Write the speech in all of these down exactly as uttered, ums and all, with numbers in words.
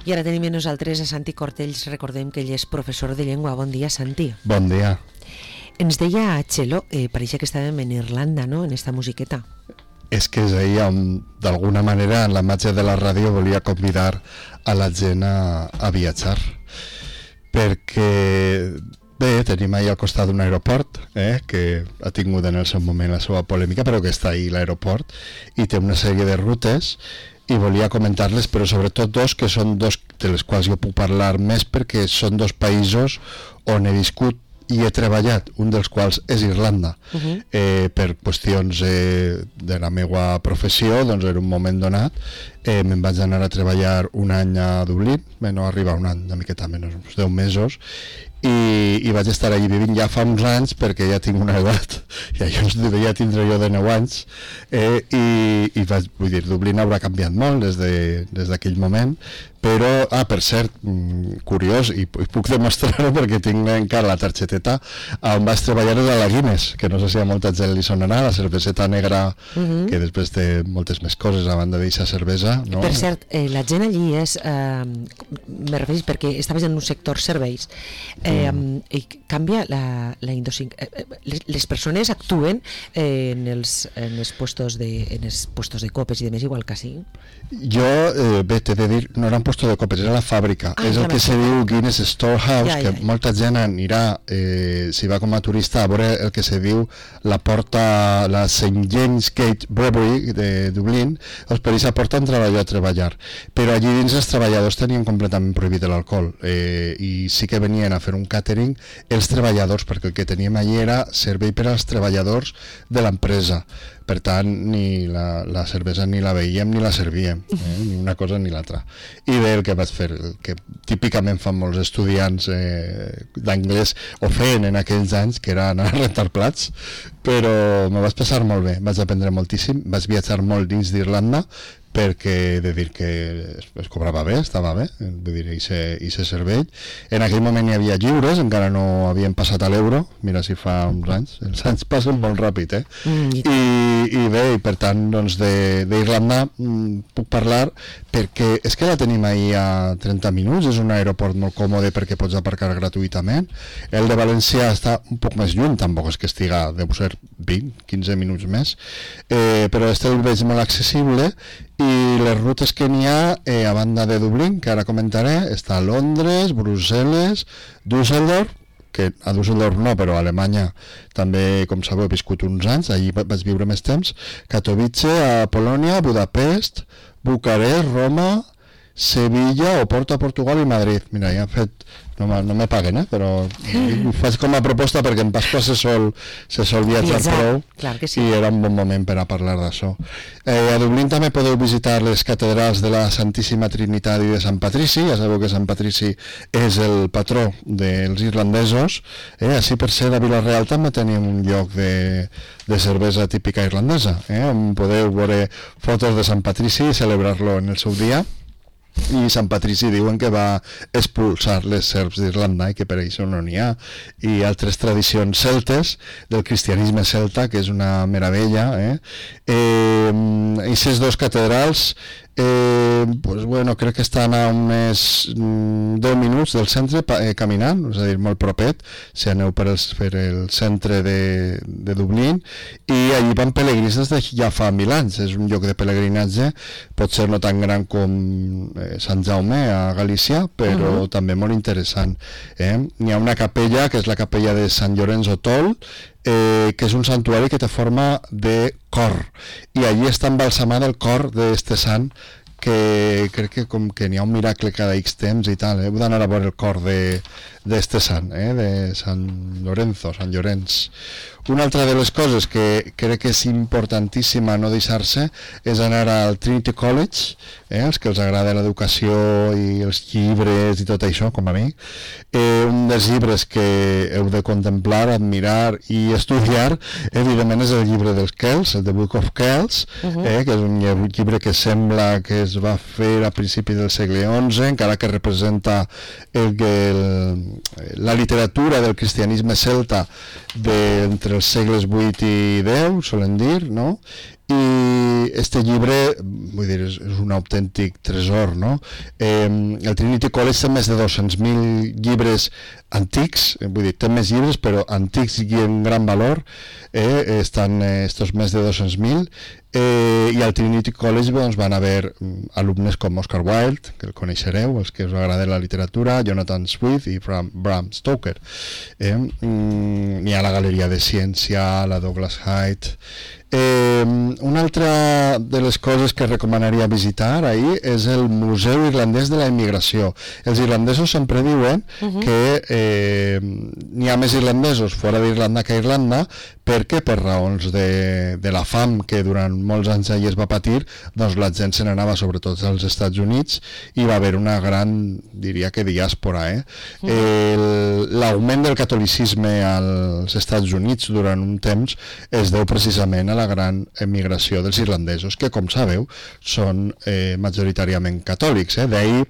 I ara tenim amb nosaltres a Santi Cortells. Recordem que ell és professor de llengua. Bon dia, Santi. Bon dia. Ens deia Txelo, eh, pareixia que estàvem en Irlanda, no?, en esta musiqueta. És que és ahir on, d'alguna manera, en la màgia de la ràdio volia convidar a la gent a, a viatjar. Perquè, bé, tenim ahir al costat d'un aeroport, eh, que ha tingut en el seu moment la seva polèmica, però que està ahir l'aeroport, i té una sèrie de rutes, i volia comentar-les, però sobretot dos, que són dos de les quals jo puc parlar més, perquè són dos països on he viscut i he treballat, un dels quals és Irlanda. Uh-huh. eh, per qüestions eh, de la meva professió, doncs en un moment donat eh, me'n vaig anar a treballar un any a Dublín, bé, no arriba un any, una miqueta menys, uns deu mesos, i, i vaig estar allí vivint ja fa uns anys, perquè ja tinc una edat, ja, jo devia tindre jo de nou anys, eh, i, i vaig, vull dir, Dublín haurà canviat molt des de, des d'aquell moment, però, ah, per cert, curiós, i, i puc demostrar-ho perquè tinc encara la targeteta on vaig treballar a la Guinness, que no sé si a molta gent li sonarà, la cerveseta negra, uh-huh. que després té moltes més coses a banda d'aquesta cervesa, no? Per cert, eh, la gent allí és, eh, me referís perquè estaves en un sector serveis, eh, mm. i canvia la, la indosin... Eh, les, les persones actuen eh, en, els, en els puestos de, en els puestos de copes i de més, igual que sí? Jo, eh, bé, t'he de dir, no era un puesto de copes, era la fàbrica, ah, és el que se diu Guinness Storehouse, ja, ja, ja. Que molta gent anirà, eh, si va com a turista, a veure el que se diu la porta, la Saint James Gate Brewery de Dublín, doncs per aquesta porta entrava jo a treballar, però allí dins els treballadors tenien completament prohibit l'alcohol, eh, i sí que venien a fer un catering els treballadors, perquè el que teníem allí era servei per als treballadors de l'empresa. Per tant, ni la, la cervesa ni la veiem ni la servíem, eh? Ni una cosa ni l'altra. I bé, el que vaig fer, el que típicament fan molts estudiants eh, d'anglès, o feien en aquells anys, que era anar a rentar plats, però me vaig passar molt bé, vaig aprendre moltíssim, vaig viatjar molt dins d'Irlanda, perquè de dir que es, es cobrava bé, estava bé, de dir, i se servei. En aquell moment hi havia lliures, encara no havien passat a l'euro, mira si fa uns anys, els anys passen molt ràpid, eh? Mm, i, I bé, i per tant, doncs, d'Irlanda puc parlar perquè és que la tenim ahir a trenta minuts, és un aeroport molt còmode perquè pots aparcar gratuïtament. El de València està un poc més lluny, tampoc és que estiga, deu ser vint, quinze minuts més, eh, però este el veig molt accessible. I les rutes que n'hi ha, eh, a banda de Dublín, que ara comentaré, està Londres, Brussel·les, Düsseldorf, que a Düsseldorf no, però a Alemanya també, com sabeu, he viscut uns anys, allí vaig viure més temps, Katowice, a Polònia, Budapest, Bucarest, Roma, Sevilla, Oporto a Portugal i Madrid. Mira, ja han fet, no, no me paguen, eh? Però ho faig com a proposta perquè en Pasqua se sol, se sol viatjar prou, clar que sí. I era un bon moment per a parlar d'això. Eh, a Dublín també podeu visitar les catedrals de la Santíssima Trinitat i de Sant Patrici. Ja sabeu que Sant Patrici és el patró dels irlandesos. Eh, així per ser a Vila-real també tenim un lloc de, de cervesa típica irlandesa, eh, on podeu veure fotos de Sant Patrici i celebrar-lo en el seu dia. I Sant Patrici diuen que va expulsar les serps d'Irlanda i que per això no n'hi ha, i altres tradicions celtes del cristianisme celta, que és una meravella, eh? Eh, i aquestes dos catedrals eh, pues bueno, crec que estan a uns mm, deu minuts del centre eh, caminant, és a dir, molt propet si aneu per el, per el centre de, de Dublín, i allí van pelegrins des de ja fa mil anys. És un lloc de pelegrinatge, pot ser no tan gran com eh, Sant Jaume a Galícia, però uh-huh. també molt interessant, eh? Hi ha una capella que és la capella de Sant Llorenç Otol, Eh, que és un santuari que té forma de cor, i allí està embalsamat el cor d'este sant, que crec que com que n'hi ha un miracle cada X temps i tal, eh? Heu d'anar a veure el cor d'este sant, eh? De Sant Lorenzo, Sant Llorenç. Una altra de les coses que crec que és importantíssima no deixar-se és anar al Trinity College, eh? Els que els agrada l'educació i els llibres i tot això, com a mi. Eh, un dels llibres que heu de contemplar, admirar i estudiar, evidentment, és el llibre dels Kells, el The Book of Kells, uh-huh. eh? Que és un llibre que sembla que es va fer a principis del segle onze, encara que representa el, el, la literatura del cristianisme celta de, entre els segles vuit i deu, solen dir, no? I este llibre, vull dir, és, és un autèntic tresor, no? Eh, el Trinity College té més de dos-cents mil llibres antics, vull dir, té més llibres, però antics i en gran valor, eh, estan eh, estos més de dos-cents mil, eh, i al Trinity College doncs, van haver alumnes com Oscar Wilde, que el coneixereu, els que us agrada la literatura, Jonathan Swift i Bram, Bram Stoker. Eh, mm, n'hi ha la Galeria de Ciència, la Douglas Hyde. Eh, una altra de les coses que recomanaria visitar ahir és el Museu Irlandès de la Immigració. Els irlandesos sempre diuen uh-huh. que eh, n'hi ha més irlandesos fora d'Irlanda que a Irlanda, perquè per raons de, de la fam que durant molts anys allà es va patir, doncs la gent se n'anava sobretot als Estats Units i va haver una gran, diria que diàspora. Eh? Uh-huh. L'augment del catolicisme als Estats Units durant un temps es deu precisament a la gran emigració dels irlandesos, que com sabeu són eh, majoritàriament catòlics. Eh? D'ahir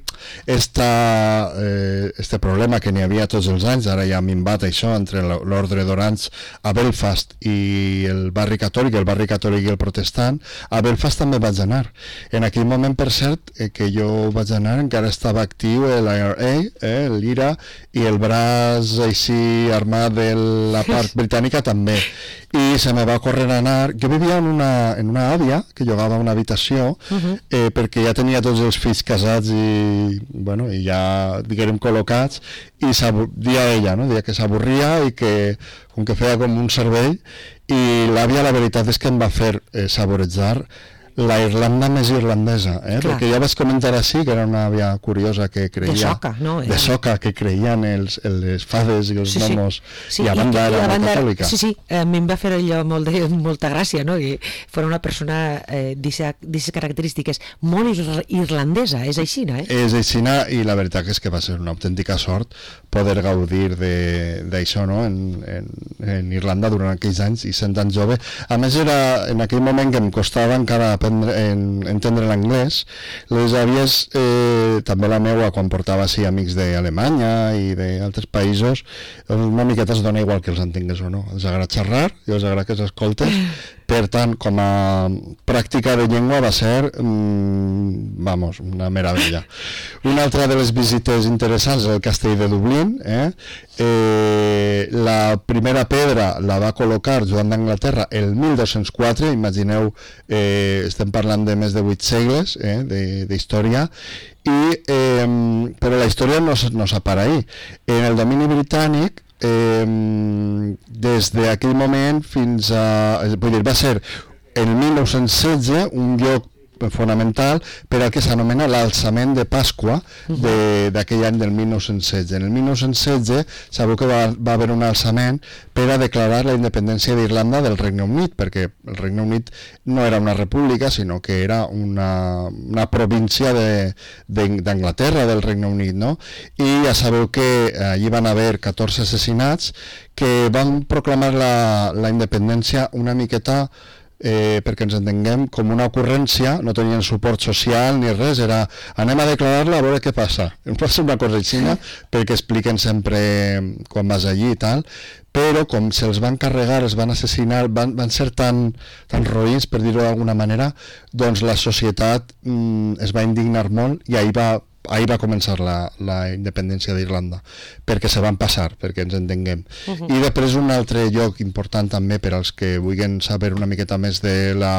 esta, eh, este problema que n'hi havia tots els anys, ara ja ha minvat això entre l'ordre d'Orange a Belfast i el barri catòlic, el barri catòlic i el protestant. A Belfast també vaig anar. En aquell moment, per cert, eh, que jo vaig anar, encara estava actiu l'I R A, eh, l'I R A, i el braç així armat de la part britànica també. I se me va córrer a anar. Jo vivia en una, en una àvia que llogava una habitació uh-huh. eh, perquè ja tenia tots els fills casats i, bueno, i ja, diguem, col·locats, i dia ella, no? Dia que s'avorria i que, com que feia com un cervell, i l'àvia la veritat és que em va fer eh, saborejar la Irlanda més irlandesa, eh? Perquè ja vaig comentar així que era una àvia curiosa que creia... De soca, no? De soca, que creien els, les fades i els sí, gnomos, sí. i a banda era una catòlica. Sí, sí, a mi em va fer allò molt de, molta gràcia, no? I fora una persona eh, d'aquestes característiques molt irlandesa, és aixina, eh? És aixina, i la veritat és que va ser una autèntica sort poder gaudir d'això, no? En, en, en Irlanda durant aquells anys, i sent tan jove. A més, era en aquell moment que em costava encara aprendre, en, entendre l'anglès. Les àvies, eh, també la meua, quan portava així amics d'Alemanya i d'altres països, una miqueta es dona igual que els entengues o no. Els agrada xerrar i els agrada que s'escoltes. Per tant, com a pràctica de llengua va ser, mmm, vamos, una meravella. Una altra de les visites interessants és el castell de Dublín. Eh? Eh, la primera pedra la va col·locar Joan d'Anglaterra el mil dos-cents quatre, imagineu, eh, estem parlant de més de vuit segles eh, d'història, i, eh, però la història no, no s'apara ahir. En el domini britànic, Eh, des d'aquell moment fins a... Vull dir, va ser en el mil nou-cents setze un lloc fonamental per al que s'anomena l'alçament de Pasqua d'aquell any del mil nou-cents setze. En el mil nou-cents setze sabeu que va, va haver un alçament per a declarar la independència d'Irlanda del Regne Unit, perquè el Regne Unit no era una república, sinó que era una, una província d'Anglaterra, de, del Regne Unit, no? I ja sabeu que allí van haver catorze assassinats que van proclamar la, la independència una miqueta Eh, perquè ens entenguem, com una ocurrència, no tenien suport social ni res, era anem a declarar-la a veure què passa. Em passa una cosa així, perquè expliquen sempre quan vas allí i tal, però com se'ls van carregar, es van assassinar, van, van ser tan, tan roïns, per dir-ho d'alguna manera, doncs la societat mm, es va indignar molt i ahir va ahir va començar la, la independència d'Irlanda, perquè se van passar, perquè ens entenguem. Uh-huh. I després un altre lloc important també per als que vulguin saber una miqueta més de la,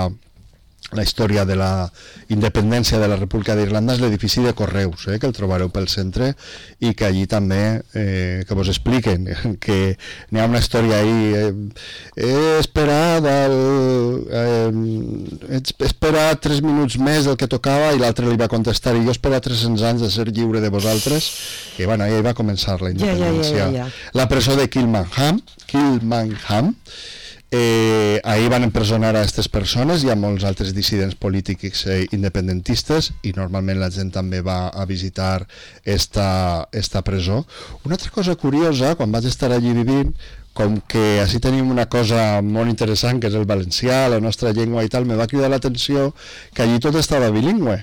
la història de la independència de la República d'Irlanda és l'edifici de Correus, eh, que el trobareu pel centre i que allí també eh, que vos expliquen que n'hi ha una història ahí eh, he esperat el, eh, he esperat tres minuts més del que tocava i l'altre li va contestar i jo he esperat tres-cents anys de ser lliure de vosaltres i bueno, ahí va començar la independència. Ja, ja, ja, ja. La presó de Kilmainham Kilmainham Eh, ahir van empresonar a aquestes persones i a molts altres dissidents polítics eh, independentistes i normalment la gent també va a visitar esta, esta presó. Una altra cosa curiosa, quan vaig estar allí vivint, com que així tenim una cosa molt interessant que és el valencià, la nostra llengua i tal, me va cridar l'atenció que allí tot estava bilingüe,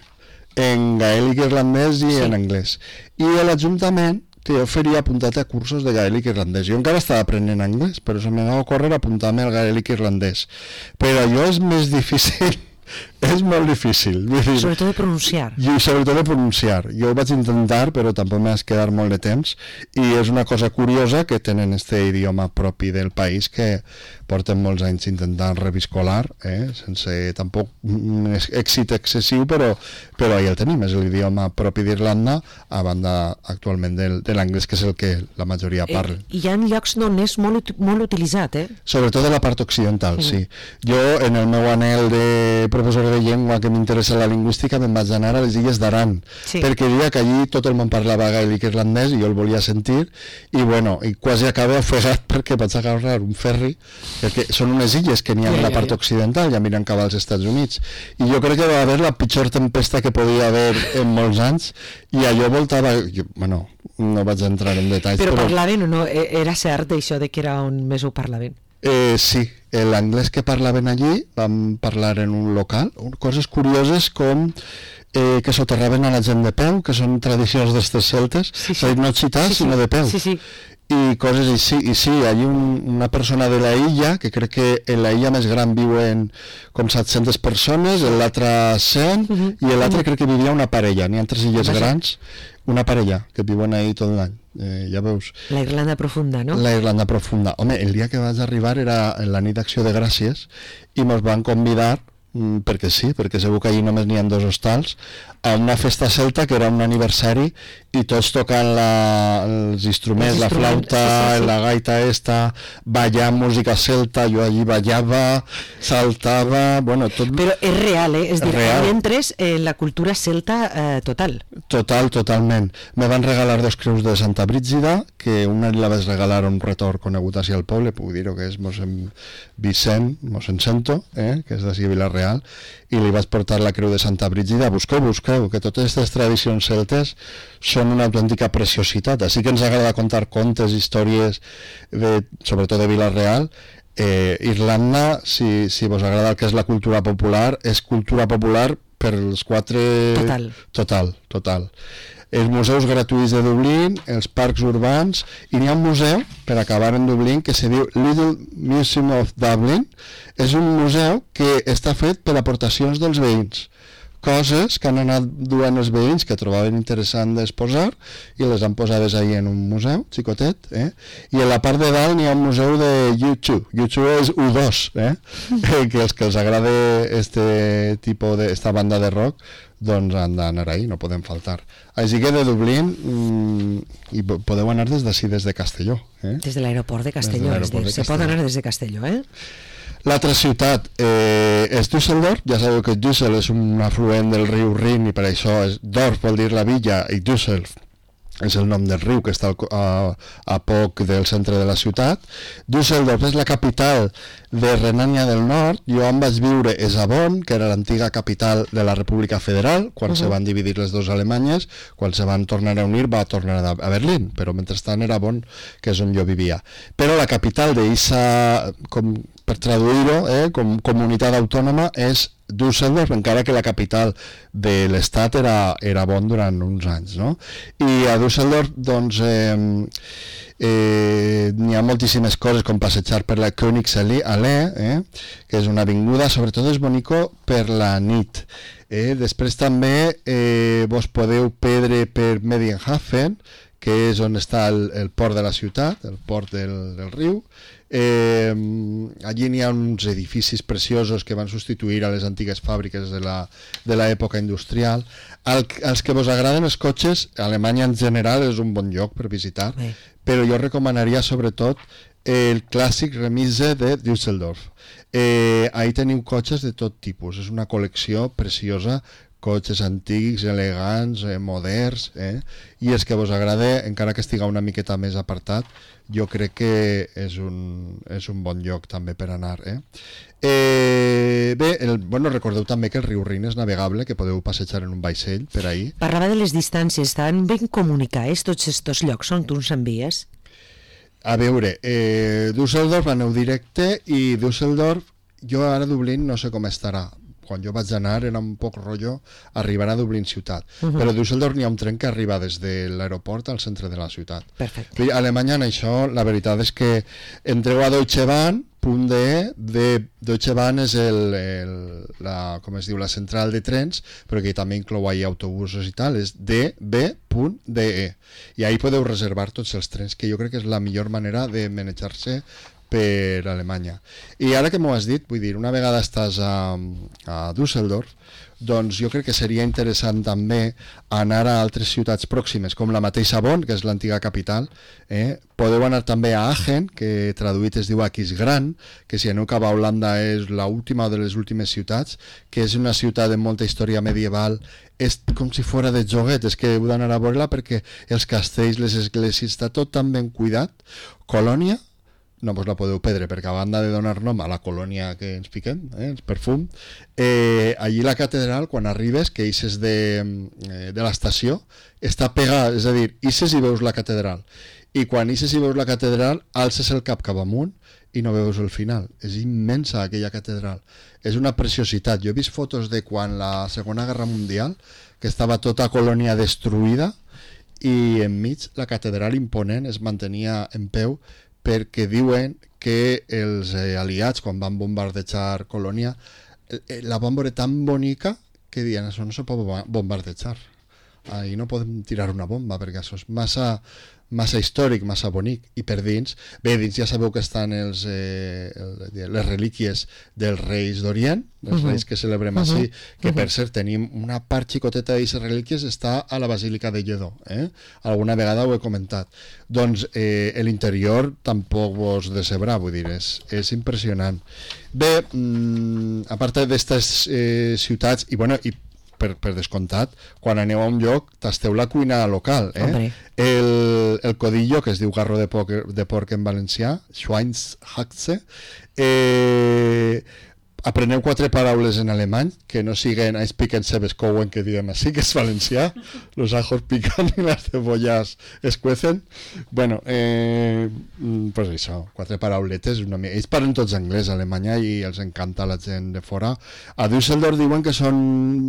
en gaèlic irlandès i sí. en anglès. I l'Ajuntament que jo faria apuntat a cursos de gaèlic irlandès. Jo encara estava aprenent anglès, però se m'anava a córrer apuntar-me al gaèlic irlandès. Però allò és més difícil és molt difícil. Vull dir, sobretot de pronunciar. I sobretot de pronunciar. Jo ho vaig intentar, però tampoc m'has quedar molt de temps, i és una cosa curiosa que tenen este idioma propi del país que porten molts anys intentant reviscolar, eh? Sense tampoc èxit excessiu, però, però ahí el tenim, és l'idioma propi d'Irlanda, a banda actualment del, de l'anglès, que és el que la majoria parla. Eh, hi ha llocs on és molt, molt utilitzat, eh? Sobretot de la part occidental, mm. sí. Jo, en el meu anhel de professor de llengua que m'interessa la lingüística, me'n vaig anar a les illes d'Aran, sí. perquè diria que allí tot el món parlava gaèlic irlandès i jo el volia sentir, i bueno, i quasi acaba ofegat perquè vaig agafar un ferri, perquè són unes illes que n'hi ha en la part occidental, ja miren cap als Estats Units, i jo crec que va haver la pitjor tempesta que podia haver en molts anys, i allò voltava, jo, bueno, no vaig entrar en detalls. Però, però parlaven o no? Era cert això de que era on més ho parlaven? Eh, sí, l'anglès que parlaven allí, vam parlar en un local, coses curioses com eh, que soterraven a la gent de peu, que són tradicions d'estes celtes, sí, sí. no xitar, sí, sí. sinó de peu. Sí, sí. I coses així, i sí, hi ha un, una persona de la illa, que crec que en la illa més gran viuen com set-centes persones, en l'altra cent, uh -huh. i en l'altra uh -huh. crec que vivia una parella, n'hi ha tres illes Vaja. grans, una parella, que viuen ahí tot l'any, eh, ja veus. La Irlanda profunda, no? La Irlanda profunda. Home, el dia que vaig arribar era en la nit d'Acció de Gràcies, i mos van convidar, perquè sí, perquè segur que allí només n'hi ha dos hostals, a una festa celta que era un aniversari i tots tocant la, els instruments, la flauta, sí, sí, sí. la gaita esta, ballant música celta, jo allí ballava, saltava, bueno, tot... Però és real, eh? És dir, real. Entres en la cultura celta eh, total. Total, totalment. Me van regalar dos creus de Santa Brígida, que una la vaig regalar a un retor conegut així al poble, puc dir-ho, que és mossèn Vicent, mossèn Cento, eh? que és d'ací a Vila-real, i li vaig portar la creu de Santa Brígida. Busqueu, busqueu, que totes aquestes tradicions celtes són una autèntica preciositat. Així que ens agrada contar contes, històries, de, sobretot de Vila-real. Eh, Irlanda, si, si vos agrada el que és la cultura popular, és cultura popular per els quatre... Total. Total, total. Els museus gratuïts de Dublín, els parcs urbans, i n'hi ha un museu, per acabar en Dublín, que se diu Little Museum of Dublin. És un museu que està fet per aportacions dels veïns, coses que han anat duent els veïns que trobaven interessant d'exposar i les han posades ahí en un museu xicotet, eh? I en la part de dalt n'hi ha un museu de U dos, U dos és U dos, eh? que els que els agrada este tipus de, esta banda de rock, doncs han d'anar ahí, no poden faltar. Així que de Dublín mmm, i podeu anar des d'ací, des de Castelló, eh? Des de l'aeroport de Castelló, de és dir, de se pot anar des de Castelló, eh? L'altra ciutat eh, és Düsseldorf. Ja sabeu que Düssel és un afluent del riu Rin i per això és, Dorf vol dir la villa i Düssel és el nom del riu que està a, a poc del centre de la ciutat. Düsseldorf és la capital de Renània del Nord. Jo em vaig viure a Bonn, que era l'antiga capital de la República Federal, quan uh -huh. se van dividir les dues Alemanyes, quan se van tornar a unir va tornar a Berlín, però mentrestant era Bonn, que és on jo vivia. Però la capital d'Issa, com per traduir-ho, eh, com comunitat autònoma, és Düsseldorf, encara que la capital de l'estat era, era Bonn durant uns anys, no? I a Düsseldorf, doncs, eh, eh, n'hi ha moltíssimes coses, com passejar per la Königsallee, eh, que és una avinguda, sobretot és bonico per la nit. Eh? Després també eh, vos podeu perdre per Medienhafen, que és on està el, el port de la ciutat, el port del, del riu. Eh, allí n'hi ha uns edificis preciosos que van substituir a les antigues fàbriques de l'època industrial. Al, als que vos agraden els cotxes, Alemanya en general és un bon lloc per visitar, sí. Però jo recomanaria sobretot el clàssic Remise de Düsseldorf. Eh, ahí teniu cotxes de tot tipus, és una col·lecció preciosa, cotxes antics, elegants, eh, moderns, eh? I els que vos agrada, encara que estiga una miqueta més apartat, jo crec que és un, és un bon lloc també per anar. Eh? Eh, bé, el, bueno, recordeu també que el riu Rin és navegable, que podeu passejar en un vaixell per ahí. Parlava de les distàncies, estan ben comunicats tots aquests llocs on tu ens envies? A veure, eh, Düsseldorf aneu directe i Düsseldorf, jo ara a Dublín no sé com estarà, quan jo vaig anar era un poc rotllo arribar a Dublín ciutat, uh -huh. però a Düsseldorf n'hi ha un tren que arriba des de l'aeroport al centre de la ciutat. Perfecte. A Alemanya en això la veritat és que entreu a Deutsche Bahn punt de, de Deutsche Bahn és el, el, la, com es diu, la central de trens, però que també inclou ahí autobusos i tal, és d b punt d e, i ahí podeu reservar tots els trens, que jo crec que és la millor manera de manejar-se per Alemanya. I ara que m'ho has dit, vull dir, una vegada estàs a, a Düsseldorf, doncs jo crec que seria interessant també anar a altres ciutats pròximes, com la mateixa Bonn, que és l'antiga capital. Eh? Podeu anar també a Aachen, que traduït es diu Aquisgrán, que si aneu cap a Holanda és l'última de les últimes ciutats, que és una ciutat de molta història medieval, és com si fora de joguet, és que heu d'anar a veure-la perquè els castells, les esglésies, està tot tan ben cuidat. Colònia, no vos la podeu perdre, perquè a banda de donar nom a la colònia que ens piquem, eh, el perfum, eh, allí la catedral, quan arribes, que ixes de, eh, de l'estació, està pegada, és a dir, ixes i veus la catedral, i quan ixes i veus la catedral, alces el cap cap amunt i no veus el final. És immensa aquella catedral, és una preciositat. Jo he vist fotos de quan la Segona Guerra Mundial, que estava tota Colònia destruïda, i enmig la catedral imponent es mantenia en peu, perquè diuen que els eh, aliats, quan van bombardejar Colònia, eh, la van veure tan bonica que diuen, això no se pot bombardejar, ahí no podem tirar una bomba, perquè això és massa, massa històric, massa bonic. I per dins, bé, dins ja sabeu que estan els, eh, el, les relíquies dels reis d'Orient, els uh -huh. reis que celebrem uh -huh. així, que uh -huh. per cert tenim una part xicoteta d'aquestes relíquies, està a la Basílica de Lledó, eh? Alguna vegada ho he comentat. Doncs eh, l'interior tampoc vos decebrà, vull dir, és, és impressionant. Bé, mm, a part d'aquestes eh, ciutats, i bueno, i Per, per descomptat, quan aneu a un lloc tasteu la cuina local, eh? el, el codillo, que es diu garro de porc, de porc en valencià, Schweinshaxe, eh, apreneu quatre paraules en alemany que no siguen I speak and sabes cowen, que diem així, que és valencià, los ajos pican y las cebollas es cuecen. Bueno, eh, pues això, quatre parauletes, una mica. Ells parlen tots anglès a Alemanya i els encanta la gent de fora. A Düsseldorf diuen que són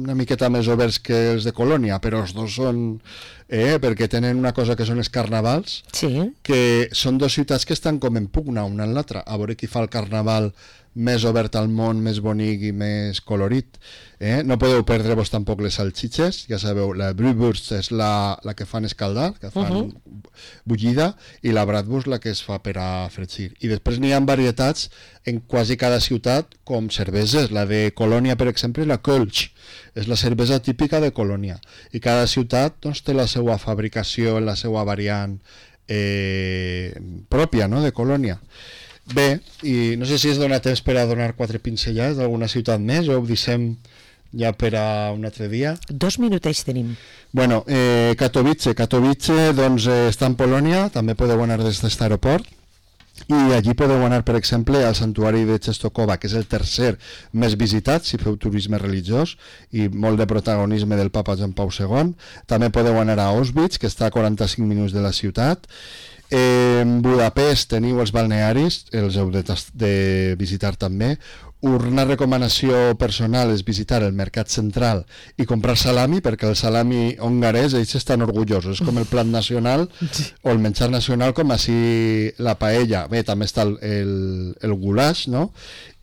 una miqueta més oberts que els de Colònia, però els dos són... Eh, perquè tenen una cosa que són els carnavals, sí. que són dues ciutats que estan com en pugna una en l'altra, a veure qui fa el carnaval més obert al món, més bonic i més colorit. Eh? No podeu perdre-vos tampoc les salxitxes, ja sabeu, la Brühwurst és la, la que fan escaldar, que fan uh -huh. bullida, i la Bratwurst la que es fa per a fregir. I després n'hi ha varietats en quasi cada ciutat, com cerveses. La de Colònia, per exemple, la Kölsch, és la cervesa típica de Colònia. I cada ciutat doncs, té la seva fabricació, la seva variant eh, pròpia, no?, de Colònia. Bé, i no sé si es dona temps per a donar quatre pinzellades d'alguna ciutat més o ho deixem ja per a un altre dia. Dos minutets tenim. Bueno, eh, Katowice. Katowice doncs, eh, està en Polònia, també podeu anar des d'aquest aeroport, i allí podeu anar, per exemple, al santuari de Czestochowa, que és el tercer més visitat si feu turisme religiós, i molt de protagonisme del papa Joan Pau segon. També podeu anar a Auschwitz, que està a quaranta-cinc minuts de la ciutat. En Budapest teniu els balnearis, els heu de, de visitar també. Una recomanació personal és visitar el mercat central i comprar salami, perquè el salami hongarès, ells estan orgullosos, és com el plat nacional o el menjar nacional, com així la paella. Bé, també està el, el, el goulash, no?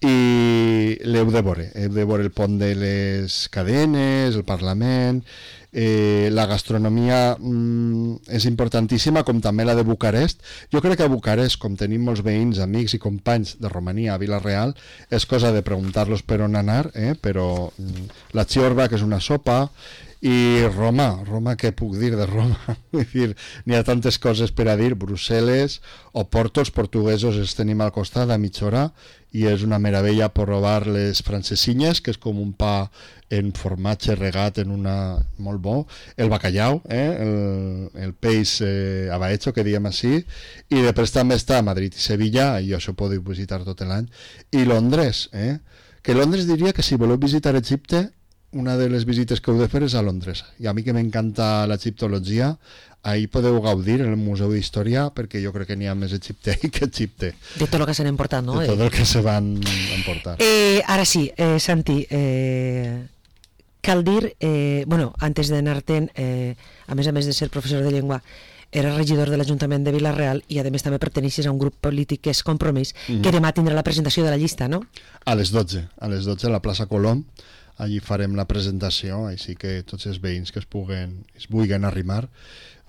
I l'heu de veure, heu de veure el pont de les cadenes, el Parlament. Eh, la gastronomia mm, és importantíssima, com també la de Bucarest. Jo crec que a Bucarest, com tenim molts veïns, amics i companys de Romania a Vila-real, és cosa de preguntar-los per on anar, eh? Però mm, la ciorba, que és una sopa, i Roma, Roma, què puc dir de Roma? Vull dir, n'hi ha tantes coses per a dir. Brussel·les o Porto, els portuguesos els tenim al costat a mitja hora, i és una meravella provar les francesinyes, que és com un pa en formatge regat en una... molt bo, el bacallau, eh? el, el peix eh, abaecho, que diem així, i després també està Madrid i Sevilla, i això podeu visitar tot l'any, i Londres, eh? Que Londres diria que si voleu visitar Egipte una de les visites que heu de fer és a Londres. I a mi que m'encanta l'egiptologia, ahí podeu gaudir en el Museu d'Història, perquè jo crec que n'hi ha més egiptei que Egipte. De tot el que s'han emportat, no? De tot el que se van emportar. Eh, ara sí, eh, Santi, eh, cal dir, eh, bueno, antes d'anar-te'n, eh, a més a més de ser professor de llengua, era regidor de l'Ajuntament de Vila-real i a més també perteneixes a un grup polític que és Compromís, mm-hmm. que demà tindrà la presentació de la llista, no? A les dotze, a les dotze a la plaça Colom, allí farem la presentació, així que tots els veïns que es puguen, es vulguin arrimar,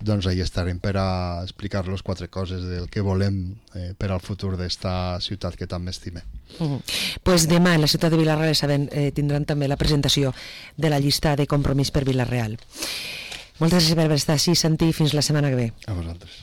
doncs allà estarem per a explicar-los quatre coses del que volem eh, per al futur d'esta ciutat que tant m'estime. Uh-huh. Pues demà en la ciutat de Vila-real sabem, eh, tindran també la presentació de la llista de Compromís per Vila-real. Moltes gràcies per estar així, Santi, fins la setmana que ve. A vosaltres.